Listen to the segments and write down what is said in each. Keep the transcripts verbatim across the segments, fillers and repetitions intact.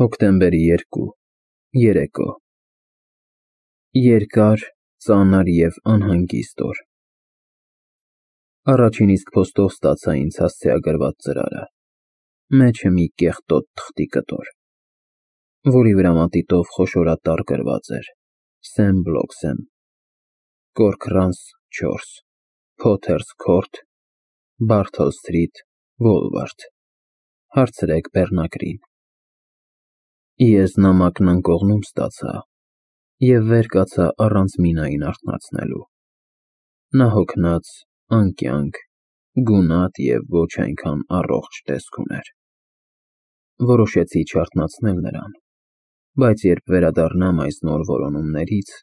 Հոկտեմբերի երկու երեկո Երկար, ծանր և անհանգիստ օր։ Առաջին իսկ փոստով ստացա ինձ հասցեագրված ծրարը, մեջը մի կեղտոտ թղթի կտոր, որի վրա մատիտով խոշորատառ գրված էր Սեմ Բլոքսեմ, Կորքրանց չորս, Փոթերս Քորթ, Բարթոլ Սթրիթ, Վոլվարդ, հարցրեք բեռնակրին։ Ես նամակն անկողնում ստացա և վեր կացա առանց Մինային արթնացնելու։ Նա հոգնած, անկյանք, գունատ և ոչ այնքան առողջ տեսք ուներ։ Որոշեցի չարթնացնել նրան, բայց երբ վերադառնամ այս նոր որոնումներից,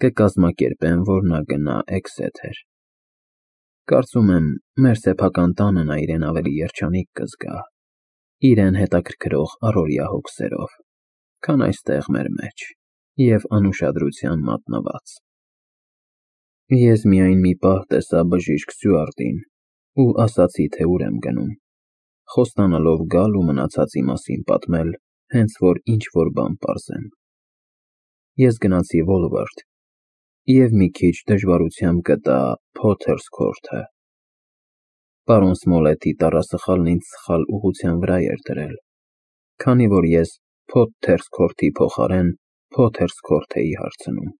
կկազմակերպեմ, որ նա գնա Էքսեթեր։ Կարծում եմ, մեր սեփական տանը նա իրեն ավելի երջանիկ կզգա, իրեն հետաքրքրող առօրյա հոգսերով, քան այստեղ մեր մեջ և անուշադրության մատնված։ Ես միայն մի պահ տեսա բժիշկ Սյուարտին ու ասացի, թե ուր եմ գնում, խոստանալով գալ ու մնացածի մասին պատմել, հենց որ ինչ-որ բան պարզեմ։ Ես գնացի Վոլվարդ և մի քիչ դժվարությամբ գտա Փոթերս Քորթը։ Պարոն Սմոլեթի տառասխալն ինձ սխալ ուղղության վրա էր դրել, քանի որ ես Փոթերս Քորթի փոխարեն Փոթերս Քորթ էի հարցնում։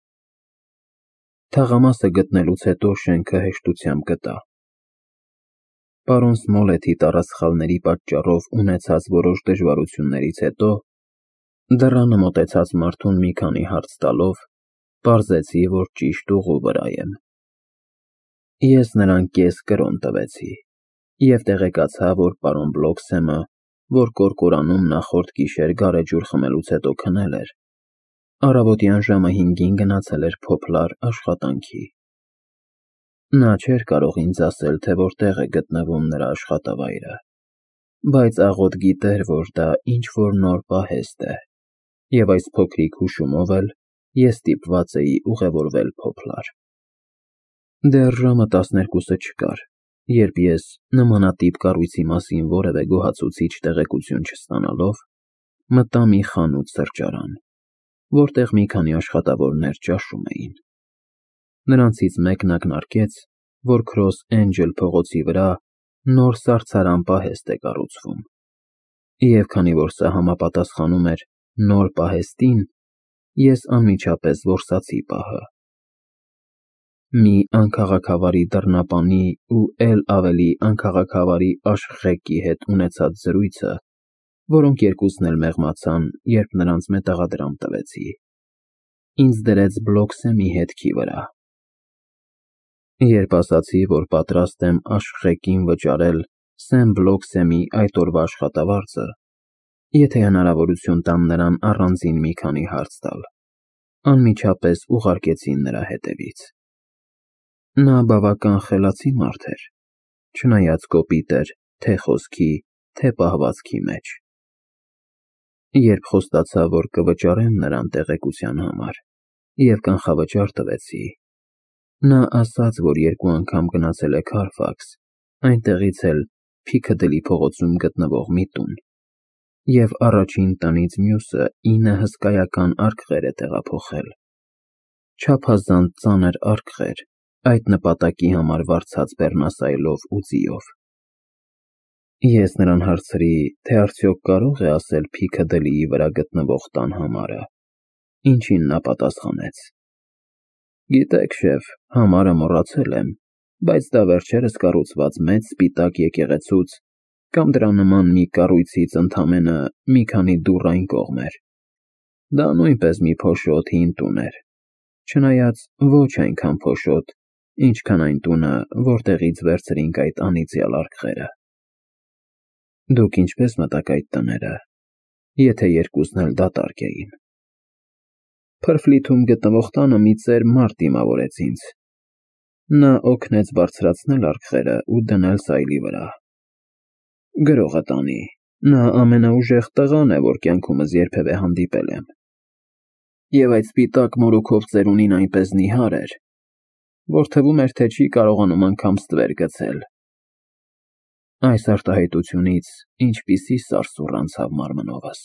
Թաղամասը գտնելուց հետո շենքը հեշտությամբ գտա։ Պարոն Սմոլեթի տառասխալների պատճառով ունեցած որոշ դժվարություններից հետո, դռանը մոտեցած մարդուն մի քանի հարց տալով, պարզեցի, որ ճիշտ ուղու վրա եմ։ Ես նրան կես կրոն տվեցի և տեղեկացա, որ պարոն Բլոքսեմը, որ կորկորանում նախորդ գիշեր գարեջուր խմելուց հետո քնել էր, առավոտյան ժամը հինգին գնացել էր Փոփլար աշխատանքի։ Նա չէր կարող ինձ ասել, թե որտեղ է գտնվում նրա աշխատավայրը, բայց աղոտ գիտեր, որ դա ինչ-որ նոր պահեստ է, և այս փոքրիկ հուշումով էլ ես ստիպված էի ուղևորվել Փոփլար։ Դեռ ժամը տասներկուսը չկար, երբ ես, նմանատիպ կառույցի մասին որևէ գոհացուցիչ տեղեկություն չստանալով, մտա մի խանութ֊սրճարան, որտեղ մի քանի աշխատավորներ ճաշում էին։ Նրանցից մեկն ակնարկեց, որ Քրոս Էնջլ փողոցի վրա նոր սառցարան պահեստ է կառուցվում, և քանի որ սա համապատասխանում էր նոր պահեստին, ես անմիջապես որսացի պահը։ Մի անքաղաքավարի դռնապանի ու էլ ավելի անքաղաքավարի աշխղեկի հետ ունեցած զրույցը, որոնք երկուսն էլ մեղմացան, երբ նրանց մետաղադրամ տվեցի, ինձ դրեց Բլոքսեմի հետքի վրա։ Երբ ասացի, որ պատրաստ եմ աշխղեկին վճարել Սեմ Բլոքսեմի այդ օրվա աշխատավարձը, եթե հնարավորություն տան նրան առանձին մի քանի հարց տալ, անմիջապես ուղարկեցին նրա հետևից։ Նա բավական խելացի մարդ էր, չնայած կոպիտ էր թե խոսքի, թե պահվածքի մեջ։ Երբ խոստացա, որ կվճարեմ նրան տեղեկության համար, և կանխավճար տվեցի, նա ասաց, որ երկու անգամ գնացել է Քարֆաքս, այնտեղից էլ Փիքադիլի փողոցում գտնվող մի տուն, և առաջին տնից մյուսը ինը հսկայական արկղեր է տեղափոխել, չափազանց ծանր արկղեր, այդ նպատակի համար վարձած բեռնասայլով ու ձիով։ Ես նրան հարցրի, թե արդյոք կարող է ասել Փիքադիլիի վրա գտնվող տան համարը, ինչին նա պատասխանեց. Գիտեք, շեֆ, համարը մոռացել եմ, բայց դա վերջերս կառուցված մեծ սպիտակ եկեղեցուց կամ դրա նման մի կառույցից ընդամենը մի քանի դուռ այն կողմ էր։ Դա նույնպես մի փոշոտ հին տուն էր, չնայած ոչ այնքան փոշոտ, ինչքան այն տունը, որտեղից վերցրինք այդ անիծյալ արկղերը։ Դուք ինչպե՞ս մտաք այդ տները, եթե երկուսն էլ դատարկ էին։ Փրֆլիթում գտնվող տանը մի ծեր մարդ դիմավորեց ինձ։ Նա օգնեց բարձրացնել արկղերը ու դնել սայլի վրա։ Գրողը տանի, նա ամենաուժեղ տղան է, որ կյանքումս երբևէ հանդիպել եմ։ Եվ այդ սպիտակ մորուքով ծերունին այնպես նիհար էր, որ թվում էր, թե չի կարողանում անգամ ստվեր գցել։ Այս արտահայտությունից ինչպիսի սարսուռ անցավ մարմնովս։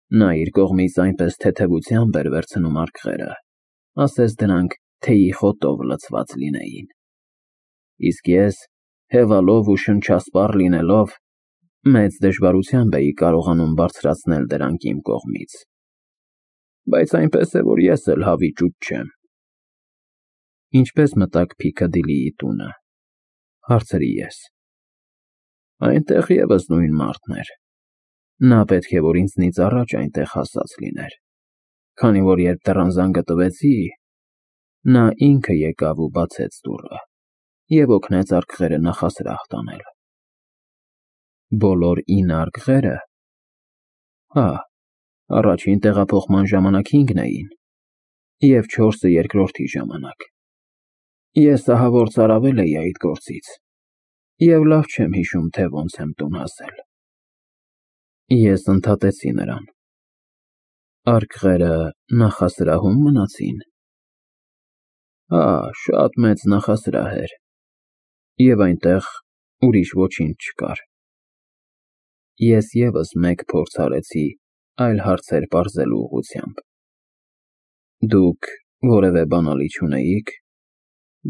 Նա իր կողմից այնպես թեթևությամբ էր վերցնում արկղերը, ասես դրանք թեյի խոտով լցված լինեին, իսկ ես, հևալով ու շնչասպառ լինելով, մեծ դժվարությամբ էի կարողանում բարձրացնել դրանք իմ կողմից, բայց այնպես է, որ ես էլ հավիճուճ չեմ։ Ինչպե՞ս մտաք Փիքադիլիի տունը, հարցրի ես։ Այնտեղ ևս նույն մարդն էր։ Նա պետք է որ ինձնից առաջ այնտեղ հասած լիներ, քանի որ երբ դռան զանգը տվեցի, նա ինքը եկավ ու բացեց դուռը և օգնեց արկղերը նախասրահ տանել։ Բոլոր ինը արկղե՞րը։ Հա, առաջին տեղափոխման ժամանակ հինգն էին, և չորսը երկրորդի ժամանակ։ Ես ահավոր ծարավել էի այդ գործից և լավ չեմ հիշում, թե ոնց եմ տուն հասել։ Ես ընդհատեցի նրան. Արկղերը նախասրահում մնացին։ Հա, շատ մեծ նախասրահ էր, և այնտեղ ուրիշ ոչինչ չկար։ Ես ևս մեկ փորձ արեցի այլ հարցեր պարզելու ուղղությամբ։ Դուք որևէ բանալի չունեիք։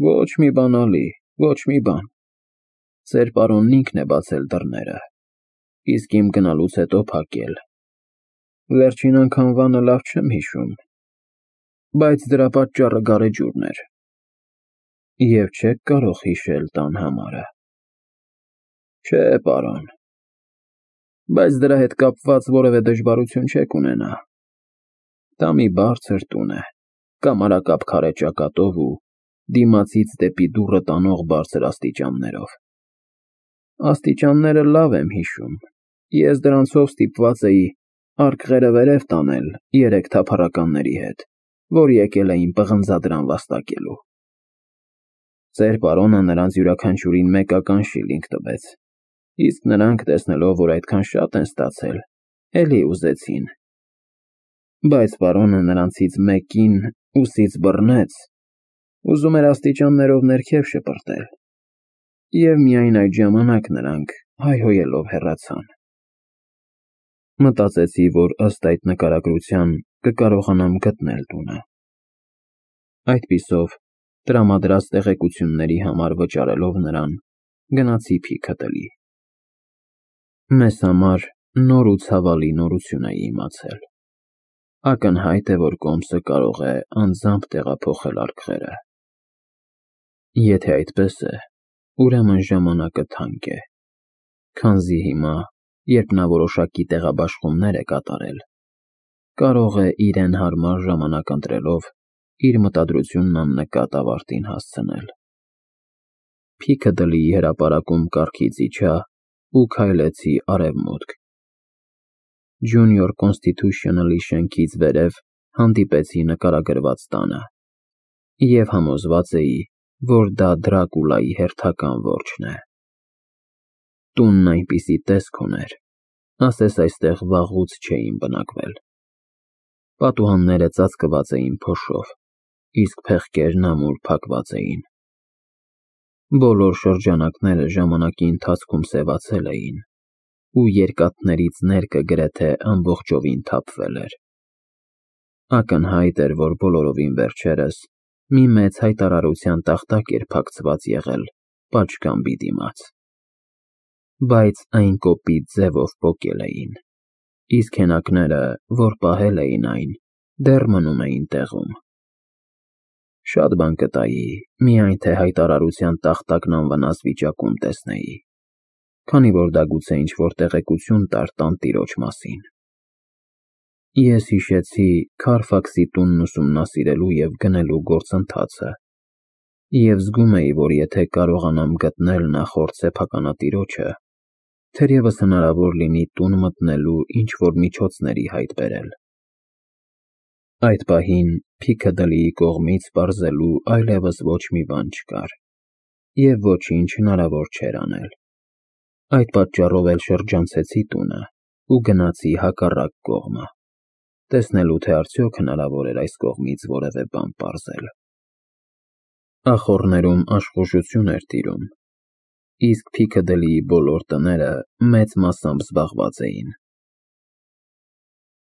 Ոչ մի բանալի, ոչ մի բան։ Ձեր պարոնն ինքն է բացել դռները, իսկ իմ գնալուց հետո փակել։ Վերջին անգամվանը լավ չեմ հիշում, բայց դրա պատճառը գարեջուրն էր։ Եվ չեք կարող հիշել տան համարը։ Չէ, պարոն, բայց դրա հետ կապված որևէ դժվարություն չեք ունենա։ Դա մի բարձր տուն է, կամարակապ քարե ճակատով ու դիմացից դեպի դուռը տանող բարձր աստիճաններով։ Աստիճանները լավ եմ հիշում, ես դրանցով ստիպված էի արկղերը վերև տանել երեք թափառականների հետ, որ եկել էին պղնձադրամ վաստակելու։ Ձեր պարոնը նրանց յուրաքանչյուրին մեկական շիլինգ տվեց, իսկ նրանք, տեսնելով, որ այդքան շատ են ստացել, էլի ուզեցին։ Բայց պարոնը նրանցից մեկին ուսից բռնեց, ուզում էր աստիճաններով ներքև շպրտել, և միայն այդ ժամանակ նրանք հայհոյելով հեռացան։ Մտածեցի, որ ըստ այդ նկարագրության կկարողանամ գտնել տունը։ Այդպիսով, տրամադրած տեղեկությունների համար վճարելով նրան, գնացի Փիքադիլի։ Մեզ համար նոր ու ցավալի նորություն էի իմացել։ Ակնհայտ է, որ կոմսը կարող է անձամբ տեղափոխել արկղերը։ Եթե այդպես է, ուրեմն ժամանակը թանկ է, քանզի հիմա, երբ նա որոշակի տեղաբաշխումներ է կատարել, կարող է իրեն հարմար ժամանակ ընտրելով իր մտադրությունն աննկատ ավարտին հասցնել։ Փիքադիլիի հրապարակում կառքից իջա ու քայլեցի արևմուտք։ Junior Constitutional-ի շենքից վերև հանդիպեցի նկարագրված տանը և համոզված էի, որ դա Դրակուլայի հերթական որջն է։ Տունն այնպիսի տեսք ուներ, ասես այստեղ վաղուց չէին բնակվել։ Պատուհանները ծածկված էին փոշով, իսկ փեղկերն ամուր փակված էին։ Բոլոր շրջանակները ժամանակի ընթացքում սևացել էին, ու երկաթներից ներկը գրեթե ամբողջովին թափվել էր։ Ակնհայտ էր, որ բոլորովին վերջերս մի մեծ հայտարարության տախտակ էր փակցված եղել պատշգամբի դիմաց։ Բայց այն կոպիտ ձևով պոկել էին, իսկ հենակները, որ պահել էին այն, դեռ մնում էին տեղում։ Շատ բան կտայի, միայն թե հայտարարության տախտակն անվնաս վիճակում տեսնեի, քանի որ դա գուցե ինչ-որ տեղեկություն տար տանտիրոջ մասին։ Ես հիշեցի Քարֆաքսի տունն ուսումնասիրելու և գնելու գործընթացը և զգում էի, որ եթե կարողանամ գտնել նախորդ սեփականատիրոջը, թերևս հնարավոր լինի տուն մտնելու ինչ-որ միջոցների հայտ բերել։ Այդ պահին Փիքադիլիի կողմից պարզելու այլևս ոչ մի բան չկար, և ոչինչ հնարավոր չէր անել։ Այդ պատճառով էլ շրջանցեցի տունը ու գնացի հակառակ կողմը, տեսնելու, թե արդյոք հնարավոր էր այս կողմից որևէ բան պարզել։ Ախոռներում աշխուժություն էր տիրում, իսկ Փիքադիլիի բոլոր տները մեծ մասամբ զբաղված էին։